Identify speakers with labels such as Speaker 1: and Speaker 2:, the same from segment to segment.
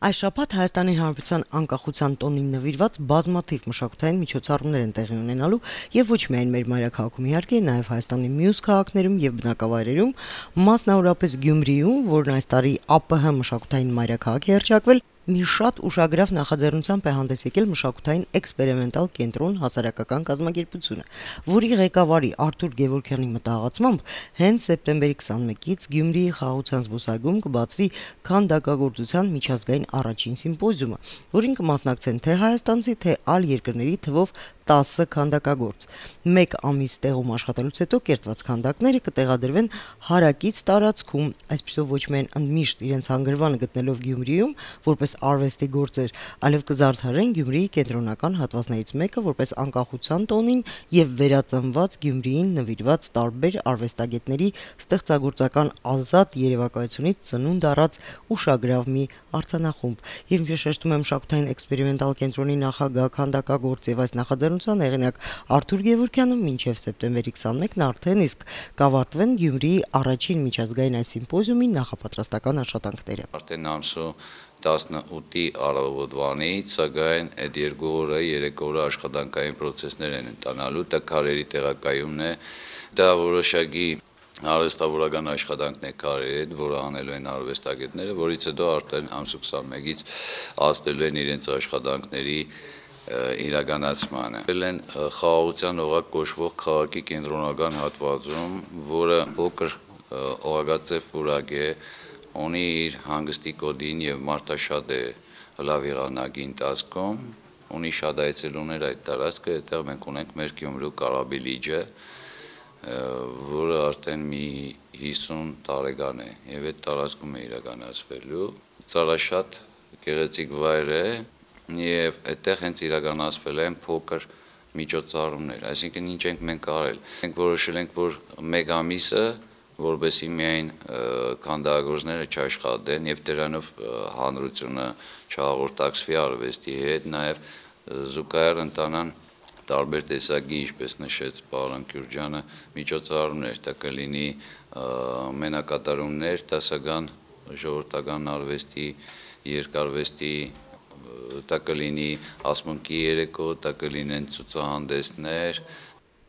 Speaker 1: Այս շաբաթ Հայաստանի Հանրապետության անկախության տոնին նվիրված բազմաթիվ մշակութային միջոցառումներ են տեղի ունենալու եւ ոչ միայն մեր մայրաքաղաքում իհարկե, նաեւ Հայաստանի մյուս քաղաքներում եւ բնակավայրերում, մասնավորապես Գյումրիում, որն այս տարի ԱՊՀ մշակութային մայրաքաղաք է հռչակվել, մի շատ ուշագրավ նախաձեռնությամբ է հանդես եկել մշակութային էքսպերիմենտալ կենտրոն հասարակական կազմակերպությունը, որի ղեկավարի Արթուր Գևորգյանի մտահղացմամբ հենց սեպտեմբերի 21-ից Գյումրիի խաղաղության զբոսայգում կբացվի քանդակագործության միջազգային առաջին սիմպոզիումը, որին կմասնակցեն թե հայաստանցի, թե այլ երկրների թվով 10 քանդակագործ։ Մեկ ամիս տեղում աշխատելուց հետո կերտված քանդակները կտեղադրվեն հարակից տարածքում, այսպիսով ոչ միայն ընդմիշտ իրենց հանգրվանը գտնելով Գյումրիում, որպես արվեստի գործեր, այլև կզարդարեն Գյումրիի կենտրոնական հատվածներից մեկը որպես անկախության տոնին եւ վերածնված Գյումրիին նվիրված տարբեր արվեստագետների ստեղծագործական ազատ երևակայությունից ծնունդ առած ուշագրավ մի արձանախումբ։ Եվ ինչպես շեշտում է մշակութային էքսպերիմենտալ կենտրոնի նախագահ քանդակագործ եւ այս նախաձեռնության հեղինակ Արթուր Գևորգյանը, մինչեւ սեպտեմբերի 21-ն արդեն իսկ կավարտվեն Գյումրիի առաջին միջազգային այս սիմպոզիումի նախապատրաստական աշխատանքները։
Speaker 2: Արդեն ամսու 18-ի առավոտվանից, սակայն այդ 2 օրը, 3 օրը աշխատանքային պրոցեսներ են ընթանալու, դա քարերի տեղակայումն է, դա որոշակի արվեստավորական աշխատանքն է քարերի հետ, որը անելու են արվեստագետները, որից հետո արդեն ամսու 21-ից ազդելու են իրենց աշխատանքների իրականացմանը։ Են խաղաղության օղակ կոչվող քաղաքի կենտրոնական հատվածում, որը փոքր օղակաձև պուրակ է, ունի իր հանգստի կոդին եւ մարդաշատ է լավ եղանակի ընթացքում, ունի շատ այցելուներ այդ տարածքը, այդտեղ մենք ունենք մեր Գյումրու Կարաբի լիճը, որը արդեն մի 50 տարեկան է եւ այդ տարածքում է իրականացվելու։ Ծառաշատ գեղեցիկ վայր է եւ այդտեղ հենց իրականացվել են փոքր միջոցառումներ, այսինքն ինչ ենք մենք արել։ Մենք որոշել ենք, որ մեկ ամիսը որովհետեւ միայն քանդակագործները չաշխատեն եւ դրանով հանրությունը չհաղորդակցվի արվեստի հետ, նաեւ զուգահեռ ընտանան տարբեր տեսակի, ինչպես նշեց պարոն Քյուրջյանը, միջոցառումներ, դա կլինի մենակատարումներ, դասական ժողովրդական արվեստի, երկարվեստի, դա կլինի ասմունքի երեկո, դա կլինեն ցուցահանդեսներ։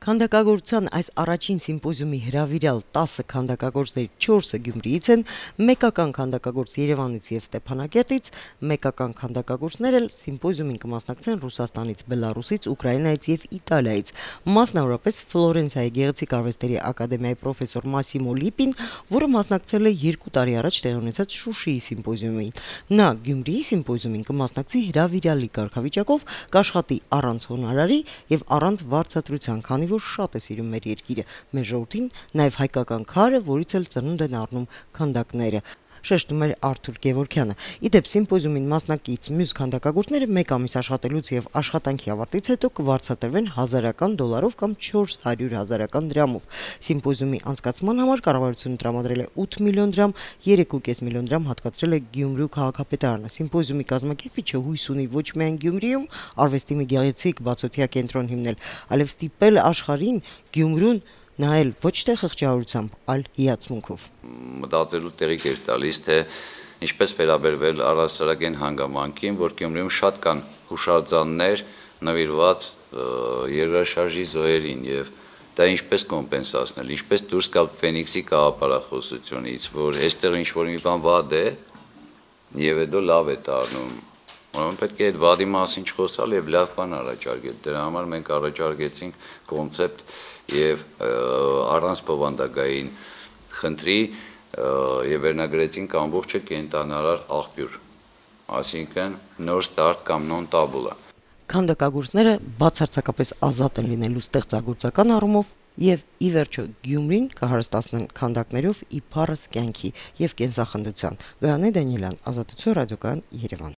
Speaker 1: Քանդակագործության այս առաջին սիմպոզիումի հրավիրյալ 10 քանդակագործների 4-ը Գյումրիից են, մեկական քանդակագործ Երևանից եւ Ստեփանակերտից, մեկական քանդակագործներ էլ սիմպոզիումին կմասնակցեն Ռուսաստանից, Բելարուսից, Ուկրաինայից եւ Իտալիայից, մասնավորապես Ֆլորենցիայի գեղեցիկ արվեստների ակադեմիայի պրոֆեսոր Մասիմո Լիպին, որը մասնակցել է 2 տարի առաջ տեղի ունեցած Շուշիի սիմպոզիումին։ Նա Գյումրիի սիմպոզիումին կմասնակցի հրավիրյալի կարգավիճակով, կաշխատի առանց հոնորարի եւ առանց վարձատրության, քանի որ շատ է սիրում մեր երկիրը, մեր ժողովրդին, նաև հայկական քարը, որից էլ ծնունդ են առնում քանդակները, շեշտում էր Արթուր Գևորգյանը։ Իդեպ սիմպոզիումին մասնակից մյուս քանդակագործները մեկ ամիս աշխատելուց եւ աշխատանքի ավարտից հետո կվարձատրվեն $1000 կամ 400,000 դրամով։ Սիմպոզիումի անցկացման համար կառավարությունը տրամադրել է 8 միլիոն դրամ, 3.5 միլիոն դրամ հատկացրել է Գյումրու քաղաքապետարանը։ Սիմպոզիումի կազմակերպիչը հույս ունի ոչ միայն Գյումրիում արվեստի մի գեղեցիկ բացօթյա կենտրոն հիմնել, այլև ստիպել աշխարհին Գյումրուն նայել ոչ թե խղճահարությամբ, այլ հիացմունքով։
Speaker 2: Մտածելու տեղիք էր տալիս, թե ինչպես վերաբերվել առհասարակային հանգամանքին, որ Գյումրիում շատ կան հուշարձաններ նվիրված երկրաշարժի զոհերին եւ դա ինչպես կոմպենսացնել, ինչպես դուրս գալ Ֆենիքսի կաղապարախոսությունից, որ այստեղ ինչ որ մի բան վատ է եւ հետո լավ է դառնում։ Ուրեմն պետք է այդ վադի մասին չխոսալ եւ լավ բան առաջարկել։ Դրա համար մենք առաջարկեցինք կոնցեպտ եւ առանց բովանդակային խնդրի եւ վերնագրեցինք ամբողջը կենտանարար աղբյուր, այսինքն նոր ստարտ կամ նոն տաբուլա։
Speaker 1: Քանդակագործները բացարձակապես ազատ են լինելու ստեղծագործական առումով եւ ի վերջո Գյումրին կհարստացնեն քանդակներով իբարս կյանքի եւ կենսախնդության։ Գայանե Դանիելյան, Ազատություն ռադիոկայան, Երևան։